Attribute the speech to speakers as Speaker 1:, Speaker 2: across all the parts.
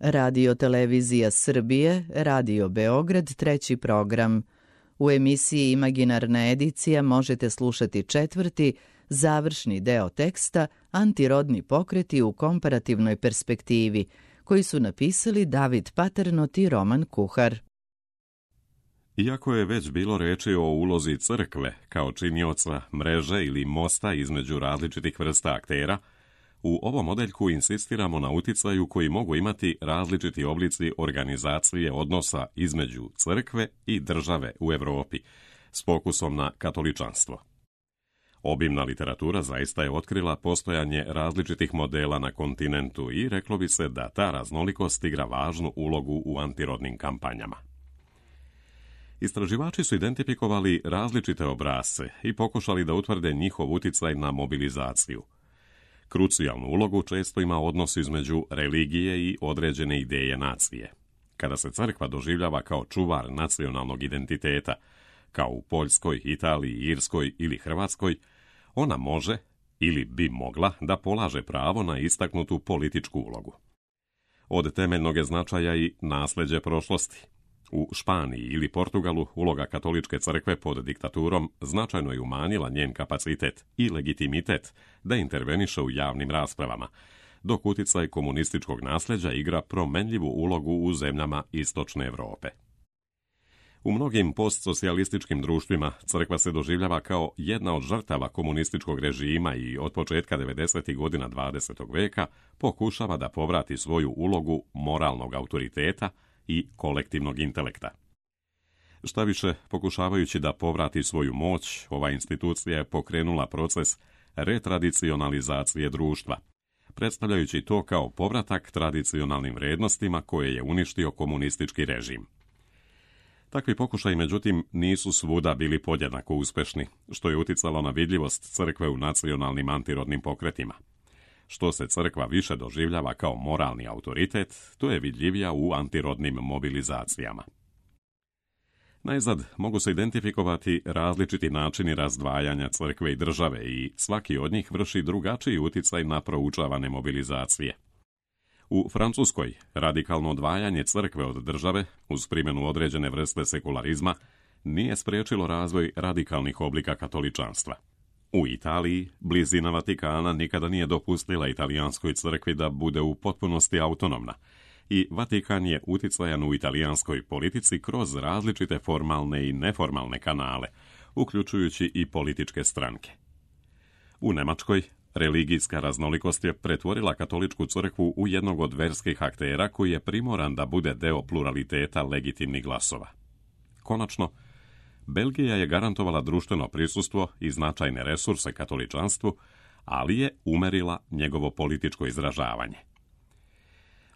Speaker 1: Radio Televizija Srbije, Radio Beograd, treći program. U emisiji Imaginarna edicija možete slušati četvrti, završni deo teksta Antirodni pokreti u komparativnoj perspektivi, koji su napisali David Paternot i Roman Kuhar.
Speaker 2: Iako je već bilo reči o ulozi crkve kao činioca mreže ili mosta između različitih vrsta aktera, u ovom odeljku insistiramo na uticaju koji mogu imati različiti oblici organizacije odnosa između crkve i države u Evropi, s fokusom na katoličanstvo. Obimna literatura zaista je otkrila postojanje različitih modela na kontinentu i reklo bi se da ta raznolikost igra važnu ulogu u antirodnim kampanjama. Istraživači su identifikovali različite obrasce i pokušali da utvrde njihov uticaj na mobilizaciju. Krucijalnu ulogu često ima odnos između religije i određene ideje nacije. Kada se crkva doživljava kao čuvar nacionalnog identiteta, kao u Poljskoj, Italiji, Irskoj ili Hrvatskoj, ona može ili bi mogla da polaže pravo na istaknutu političku ulogu. Od temeljnog je značaja i nasleđe prošlosti. U Španiji ili Portugalu uloga katoličke crkve pod diktaturom značajno je umanjila njen kapacitet i legitimitet da interveniše u javnim raspravama, dok uticaj komunističkog nasleđa igra promenljivu ulogu u zemljama istočne Evrope. U mnogim postsocijalističkim društvima crkva se doživljava kao jedna od žrtava komunističkog režima i od početka 90. godina 20. veka pokušava da povrati svoju ulogu moralnog autoriteta i kolektivnog intelekta. Šta više, pokušavajući da povrati svoju moć, ova institucija je pokrenula proces retradicionalizacije društva, predstavljajući to kao povratak tradicionalnim vrednostima koje je uništio komunistički režim. Takvi pokušaji, međutim, nisu svuda bili podjednako uspešni, što je uticalo na vidljivost crkve u nacionalnim antirodnim pokretima. Što se crkva više doživljava kao moralni autoritet, to je vidljivija u antirodnim mobilizacijama. Najzad mogu se identifikovati različiti načini razdvajanja crkve i države i svaki od njih vrši drugačiji uticaj na proučavane mobilizacije. U Francuskoj radikalno odvajanje crkve od države, uz primjenu određene vrste sekularizma, nije spriječilo razvoj radikalnih oblika katoličanstva. U Italiji, blizina Vatikana nikada nije dopustila italijanskoj crkvi da bude u potpunosti autonomna i Vatikan je uticajan u italijanskoj politici kroz različite formalne i neformalne kanale, uključujući i političke stranke. U Nemačkoj, religijska raznolikost je pretvorila katoličku crkvu u jednog od verskih aktera koji je primoran da bude deo pluraliteta legitimnih glasova. Konačno, Belgija je garantovala društveno prisustvo i značajne resurse katoličanstvu, ali je umerila njegovo političko izražavanje.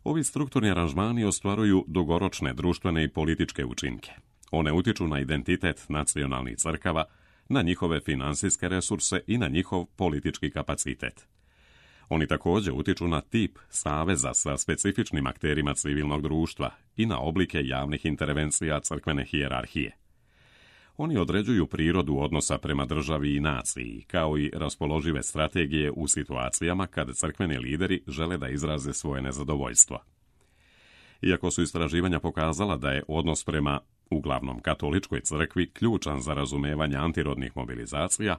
Speaker 2: Ovi strukturni aranžmani ostvaruju dugoročne društvene i političke učinke. One utiču na identitet nacionalnih crkava, na njihove finansijske resurse i na njihov politički kapacitet. Oni također utiču na tip saveza sa specifičnim akterima civilnog društva i na oblike javnih intervencija crkvene hijerarhije. Oni određuju prirodu odnosa prema državi i naciji, kao i raspoložive strategije u situacijama kada crkveni lideri žele da izraze svoje nezadovoljstvo. Iako su istraživanja pokazala da je odnos prema uglavnom katoličkoj crkvi ključan za razumevanje antirodnih mobilizacija,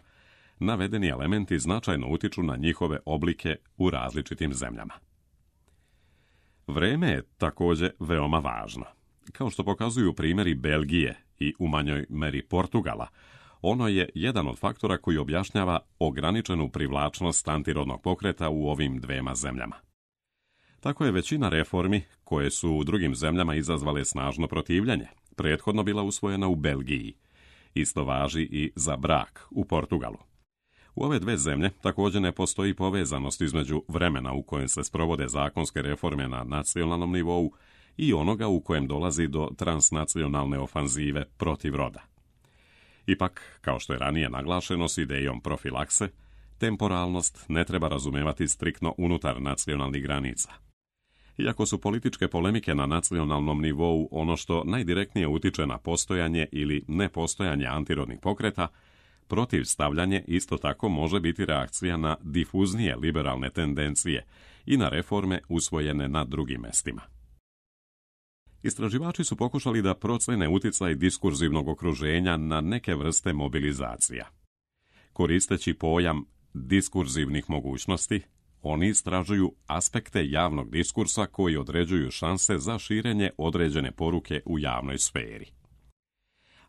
Speaker 2: navedeni elementi značajno utiču na njihove oblike u različitim zemljama. Vreme je također veoma važno. Kao što pokazuju primjeri Belgije i u manjoj meri Portugala, ono je jedan od faktora koji objašnjava ograničenu privlačnost antirodnog pokreta u ovim dvema zemljama. Tako je većina reformi, koje su u drugim zemljama izazvale snažno protivljenje, prethodno bila usvojena u Belgiji. Isto važi i za brak u Portugalu. U ove dve zemlje također ne postoji povezanost između vremena u kojem se sprovode zakonske reforme na nacionalnom nivou i onoga u kojem dolazi do transnacionalne ofanzive protiv roda. Ipak, kao što je ranije naglašeno s idejom profilakse, temporalnost ne treba razumevati striktno unutar nacionalnih granica. Iako su političke polemike na nacionalnom nivou ono što najdirektnije utiče na postojanje ili nepostojanje antirodnih pokreta, protivstavljanje isto tako može biti reakcija na difuznije liberalne tendencije i na reforme usvojene na drugim mestima. Istraživači su pokušali da procene utjecaj diskurzivnog okruženja na neke vrste mobilizacija. Koristeći pojam diskurzivnih mogućnosti, oni istražuju aspekte javnog diskursa koji određuju šanse za širenje određene poruke u javnoj sferi.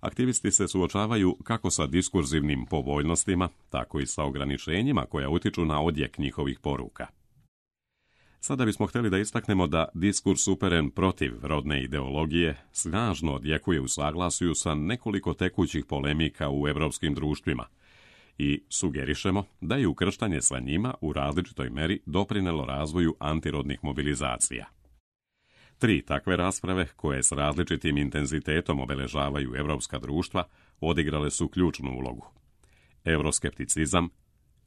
Speaker 2: Aktivisti se suočavaju kako sa diskurzivnim povoljnostima, tako i sa ograničenjima koja utiču na odjek njihovih poruka. Sada bismo htjeli da istaknemo da diskurs uperen protiv rodne ideologije snažno odjekuje u saglasju sa nekoliko tekućih polemika u evropskim društvima i sugerišemo da je ukrštanje sa njima u različitoj meri doprinelo razvoju antirodnih mobilizacija. 3 takve rasprave, koje s različitim intenzitetom obeležavaju evropska društva, odigrale su ključnu ulogu. Euroskepticizam,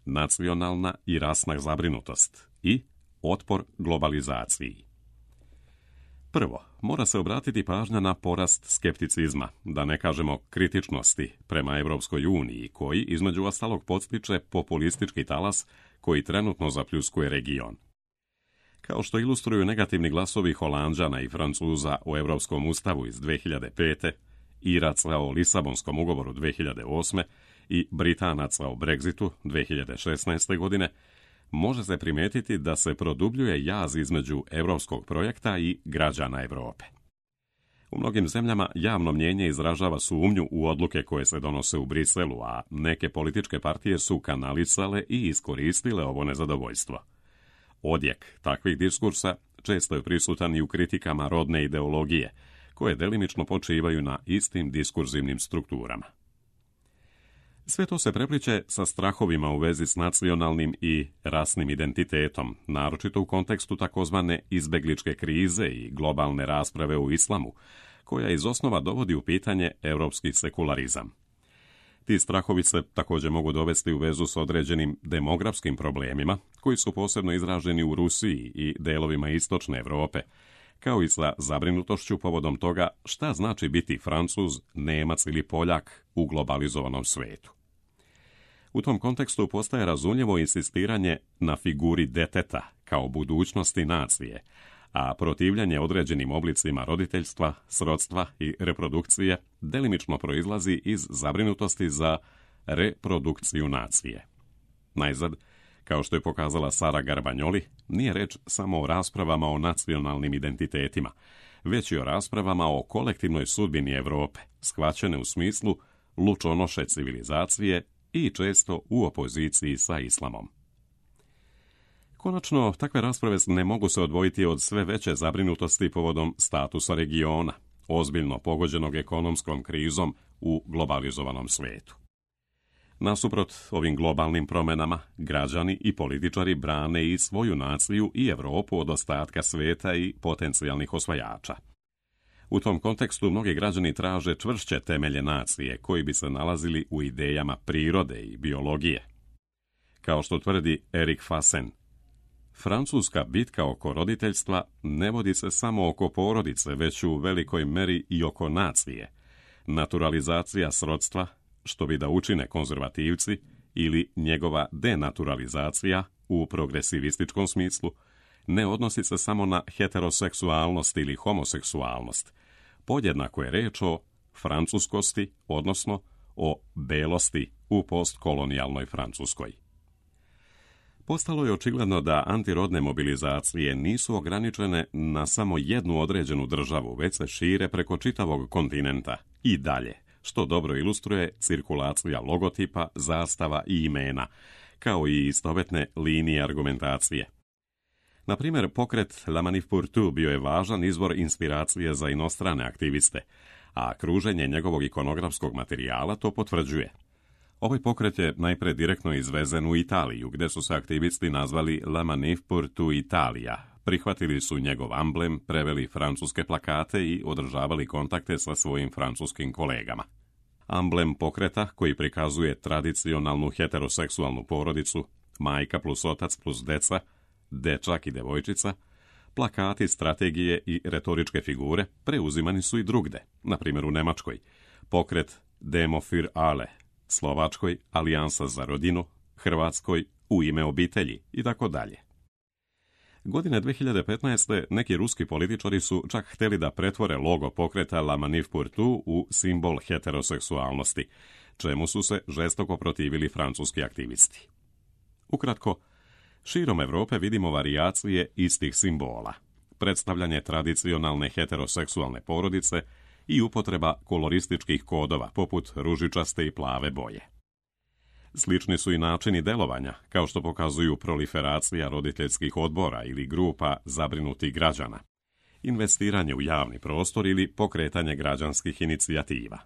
Speaker 2: nacionalna i rasna zabrinutost i otpor globalizaciji. Prvo, mora se obratiti pažnja na porast skepticizma, da ne kažemo kritičnosti prema Evropskoj uniji, koji između ostalog podstiče populistički talas koji trenutno zapljuskuje region. Kao što ilustruju negativni glasovi Holanđana i Francuza o Evropskom ustavu iz 2005. Iraca o Lisabonskom ugovoru 2008. i Britanaca o Brexitu 2016. godine, može se primijetiti da se produbljuje jaz između evropskog projekta i građana Europe. U mnogim zemljama javno mnijenje izražava sumnju u odluke koje se donose u Briselu, a neke političke partije su kanalisale i iskoristile ovo nezadovoljstvo. Odjek takvih diskursa često je prisutan i u kritikama rodne ideologije, koje delimično počivaju na istim diskurzivnim strukturama. Sve to se prepliče sa strahovima u vezi s nacionalnim i rasnim identitetom, naročito u kontekstu takozvane izbegličke krize i globalne rasprave o islamu, koja iz osnova dovodi u pitanje europski sekularizam. Ti strahovi se također mogu dovesti u vezu s određenim demografskim problemima, koji su posebno izraženi u Rusiji i delovima istočne Europe, kao i sa zabrinutošću povodom toga šta znači biti Francuz, Nemac ili Poljak u globalizovanom svetu. U tom kontekstu postaje razumljivo insistiranje na figuri deteta kao budućnosti nacije, a protivljenje određenim oblicima roditeljstva, srodstva i reprodukcije delimično proizlazi iz zabrinutosti za reprodukciju nacije. Najzad, kao što je pokazala Sara Garbagnoli, nije reč samo o raspravama o nacionalnim identitetima, već i o raspravama o kolektivnoj sudbini Europe, shvaćene u smislu lučonoše civilizacije i često u opoziciji sa islamom. Konačno, takve rasprave ne mogu se odvojiti od sve veće zabrinutosti povodom statusa regiona, ozbiljno pogođenog ekonomskom krizom u globalizovanom svijetu. Nasuprot ovim globalnim promjenama, građani i političari brane i svoju naciju i Europu od ostatka svijeta i potencijalnih osvajača. U tom kontekstu mnogi građani traže čvršće temelje nacije koji bi se nalazili u idejama prirode i biologije. Kao što tvrdi Erik Fassen, francuska bitka oko roditeljstva ne vodi se samo oko porodice, već u velikoj meri i oko nacije. Naturalizacija srodstva, što bi da učine konzervativci, ili njegova denaturalizacija u progresivističkom smislu, ne odnosi se samo na heteroseksualnost ili homoseksualnost. Podjednako je reč o francuskosti, odnosno o belosti u postkolonijalnoj Francuskoj. Postalo je očigledno da antirodne mobilizacije nisu ograničene na samo jednu određenu državu, već se šire preko čitavog kontinenta i dalje, što dobro ilustruje cirkulacija logotipa, zastava i imena, kao i istovetne linije argumentacije. Na primjer, pokret La Manif pour Tout bio je važan izvor inspiracije za inostrane aktiviste, a kruženje njegovog ikonografskog materijala to potvrđuje. Ovaj pokret je najpre direktno izvezen u Italiju, gdje su se aktivisti nazvali La Manif pour Tout Italia. Prihvatili su njegov amblem, preveli francuske plakate i održavali kontakte sa svojim francuskim kolegama. Amblem pokreta, koji prikazuje tradicionalnu heteroseksualnu porodicu, majka plus otac plus deca, dečak i devojčica, plakati, strategije i retoričke figure preuzimani su i drugde, na primjer u Nemačkoj, pokret Demo für alle, Slovačkoj Alijansa za rodinu, Hrvatskoj U ime obitelji i tako dalje. Godine 2015. neki ruski političari su čak htjeli da pretvore logo pokreta La Manif pour tout u simbol heteroseksualnosti, čemu su se žestoko protivili francuski aktivisti. Ukratko, širom Europe vidimo varijacije istih simbola, predstavljanje tradicionalne heteroseksualne porodice i upotreba kolorističkih kodova poput ružičaste i plave boje. Slični su i načini delovanja, kao što pokazuju proliferacija roditeljskih odbora ili grupa zabrinutih građana, investiranje u javni prostor ili pokretanje građanskih inicijativa.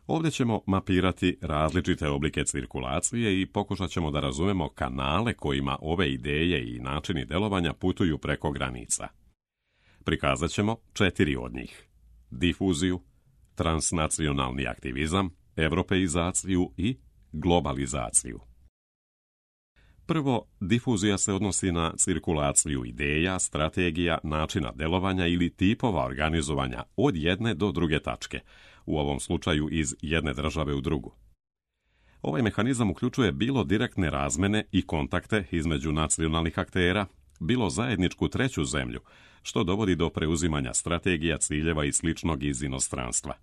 Speaker 2: Ovdje ćemo mapirati različite oblike cirkulacije i pokušat ćemo da razumemo kanale kojima ove ideje i načini delovanja putuju preko granica. Prikazat ćemo 4 od njih: difuziju, transnacionalni aktivizam, europeizaciju i globalizaciju. Prvo, difuzija se odnosi na cirkulaciju ideja, strategija, načina delovanja ili tipova organizovanja od jedne do druge tačke, u ovom slučaju iz jedne države u drugu. Ovaj mehanizam uključuje bilo direktne razmene i kontakte između nacionalnih aktera, bilo zajedničku treću zemlju, što dovodi do preuzimanja strategija, ciljeva i sličnog iz inostranstva.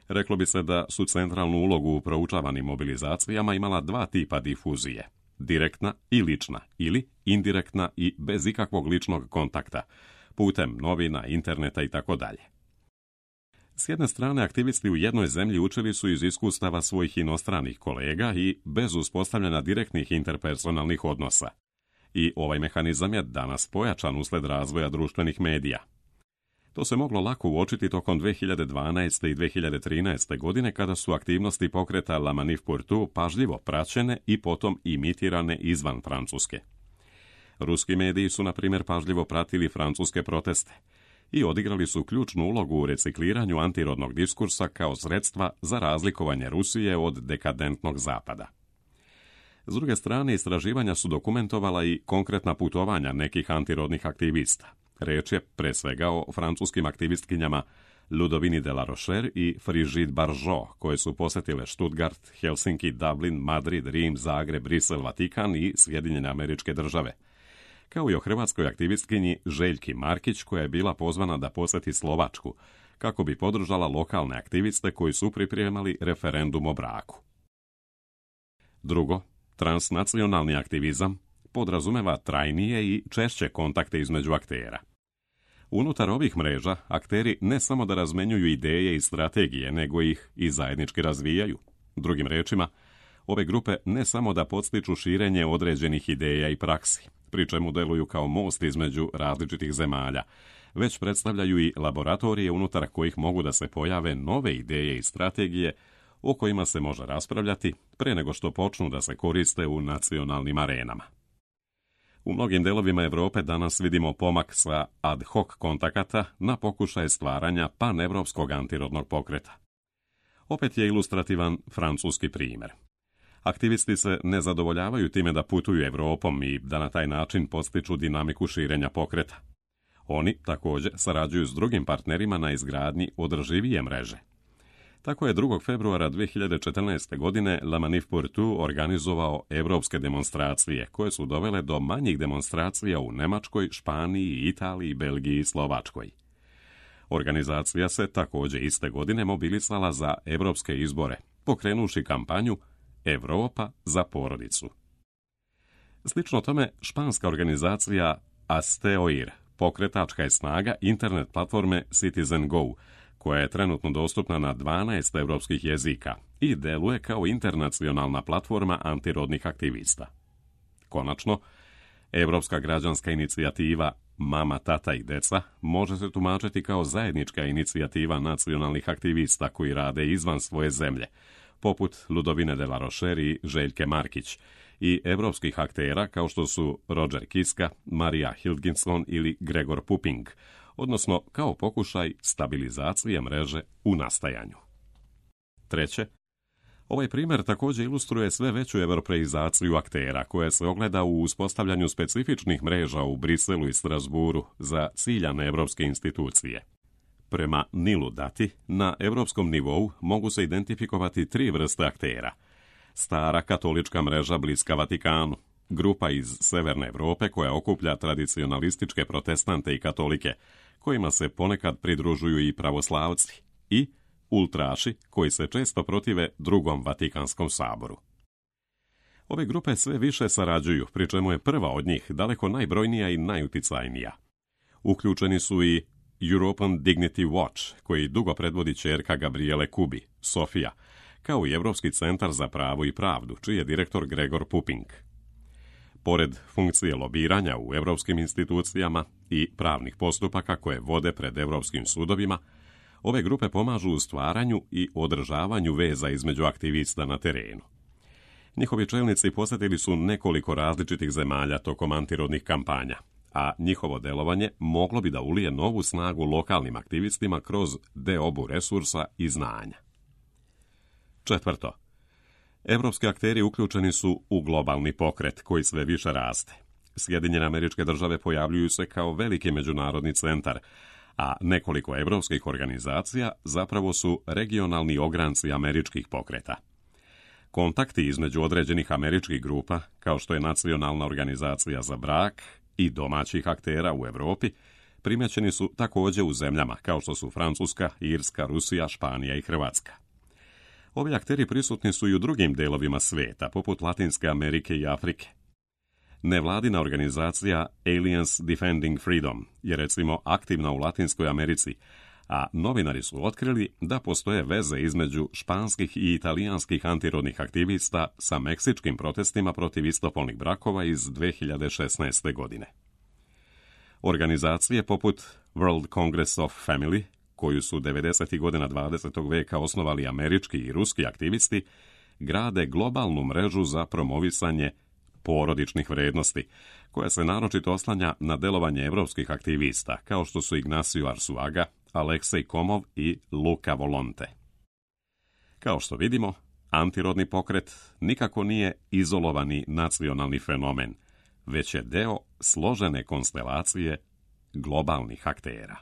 Speaker 2: Reklo bi se da su centralnu ulogu u proučavanim mobilizacijama imala 2 tipa difuzije: direktna i lična, ili indirektna i bez ikakvog ličnog kontakta, putem novina, interneta itd. S jedne strane, aktivisti u jednoj zemlji učili su iz iskustava svojih inostranih kolega i bez uspostavljanja direktnih interpersonalnih odnosa. I ovaj mehanizam je danas pojačan usled razvoja društvenih medija. To se moglo lako uočiti tokom 2012. i 2013. godine kada su aktivnosti pokreta La Manif pour tout pažljivo praćene i potom imitirane izvan Francuske. Ruski mediji su, na primjer, pažljivo pratili francuske proteste i odigrali su ključnu ulogu u recikliranju antirodnog diskursa kao sredstva za razlikovanje Rusije od dekadentnog zapada. S druge strane, istraživanja su dokumentovala i konkretna putovanja nekih antirodnih aktivista. Reč je pre svega o francuskim aktivistkinjama Ludovini de la Rochère i Frigide Barjot, koje su posjetile Stuttgart, Helsinki, Dublin, Madrid, Rim, Zagreb, Brisel, Vatikan i Sjedinjene Američke Države, kao i o hrvatskoj aktivistkinji Željki Markić, koja je bila pozvana da posjeti Slovačku, kako bi podržala lokalne aktiviste koji su pripremali referendum o braku. Drugo, transnacionalni aktivizam podrazumeva trajnije i češće kontakte između aktera. Unutar ovih mreža, akteri ne samo da razmenjuju ideje i strategije, nego ih i zajednički razvijaju. Drugim rečima, ove grupe ne samo da podstiču širenje određenih ideja i praksi, pri čemu deluju kao most između različitih zemalja, već predstavljaju i laboratorije unutar kojih mogu da se pojave nove ideje i strategije o kojima se može raspravljati pre nego što počnu da se koriste u nacionalnim arenama. U mnogim delovima Europe danas vidimo pomak sa ad hoc kontakata na pokušaj stvaranja panevropskog antirodnog pokreta. Opet je ilustrativan francuski primjer. Aktivisti se ne zadovoljavaju time da putuju Europom i da na taj način podstiču dinamiku širenja pokreta. Oni također sarađuju s drugim partnerima na izgradnji održivije mreže. Tako je 2. februara 2014. godine La Manif pour tout organizovao europske demonstracije, koje su dovele do manjih demonstracija u Nemačkoj, Španiji, Italiji, Belgiji i Slovačkoj. Organizacija se također iste godine mobilisala za europske izbore, pokrenuši kampanju Europa za porodicu. Slično tome, španska organizacija Asteoir, pokretačka je snaga internet platforme Citizen Go, koja je trenutno dostupna na 12 europskih jezika i deluje kao internacionalna platforma antirodnih aktivista. Konačno, Europska građanska inicijativa Mama, tata i deca može se tumačiti kao zajednička inicijativa nacionalnih aktivista koji rade izvan svoje zemlje, poput Ludovine de la Rochère i Željke Markić, i evropskih aktera kao što su Roger Kiska, Maria Hilginson ili Gregor Puping, odnosno kao pokušaj stabilizacije mreže u nastajanju. Treće, ovaj primjer također ilustruje sve veću europeizaciju aktera, koja se ogleda u uspostavljanju specifičnih mreža u Briselu i Strasburu za ciljane evropske institucije. Prema Nilu Dati, na europskom nivou mogu se identifikovati 3 vrste aktera. Stara katolička mreža bliska Vatikanu, grupa iz Severne Evrope koja okuplja tradicionalističke protestante i katolike, kojima se ponekad pridružuju i pravoslavci, i ultraši koji se često protive Drugom Vatikanskom saboru. Ove grupe sve više sarađuju, pri čemu je prva od njih daleko najbrojnija i najuticajnija. Uključeni su i European Dignity Watch, koji dugo predvodi ćerka Gabriele Kubi, Sofija, kao i Europski centar za pravo i pravdu, čiji je direktor Gregor Puping. Pored funkcije lobiranja u europskim institucijama i pravnih postupaka koje vode pred europskim sudovima, ove grupe pomažu u stvaranju i održavanju veza između aktivista na terenu. Njihovi čelnici posjetili su nekoliko različitih zemalja tokom antirodnih kampanja, a njihovo delovanje moglo bi da ulije novu snagu lokalnim aktivistima kroz deobu resursa i znanja. Četvrto, evropski akteri uključeni su u globalni pokret koji sve više raste. Sjedinjene Američke Države pojavljuju se kao veliki međunarodni centar, a nekoliko evropskih organizacija zapravo su regionalni ogranci američkih pokreta. Kontakti između određenih američkih grupa, kao što je Nacionalna organizacija za brak, i domaćih aktera u Europi, primećeni su također u zemljama kao što su Francuska, Irska, Rusija, Španija i Hrvatska. Ovi akteri prisutni su i u drugim delovima svijeta, poput Latinske Amerike i Afrike. Nevladina organizacija Aliens Defending Freedom je recimo aktivna u Latinskoj Americi, a novinari su otkrili da postoje veze između španskih i italijanskih antirodnih aktivista sa meksičkim protestima protiv istopolnih brakova iz 2016. godine. Organizacije poput World Congress of Family, koju su 90. godina 20. veka osnovali američki i ruski aktivisti, grade globalnu mrežu za promovisanje porodičnih vrednosti, koja se naročito oslanja na delovanje evropskih aktivista, kao što su Ignacio Arzuaga, Aleksej Komov i Luka Volonte. Kao što vidimo, antirodni pokret nikako nije izolovani nacionalni fenomen, već je deo složene konstelacije globalnih aktera.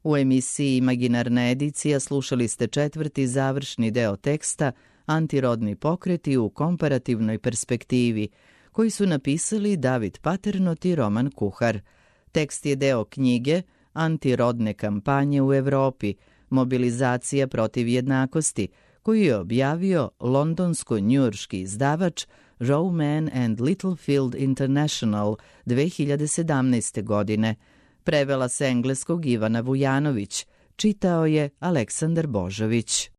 Speaker 1: U emisiji Imaginarna edicija slušali ste četvrti završni deo teksta Antirodni pokreti u komparativnoj perspektivi, koji su napisali David Paternot i Roman Kuhar. Tekst je deo knjige Antirodne kampanje u Evropi, mobilizacija protiv jednakosti, koju je objavio londonsko-njujorški izdavač Rowman and Littlefield International 2017. godine. Prevela s engleskog Ivana Vujanović, čitao je Aleksandar Božović.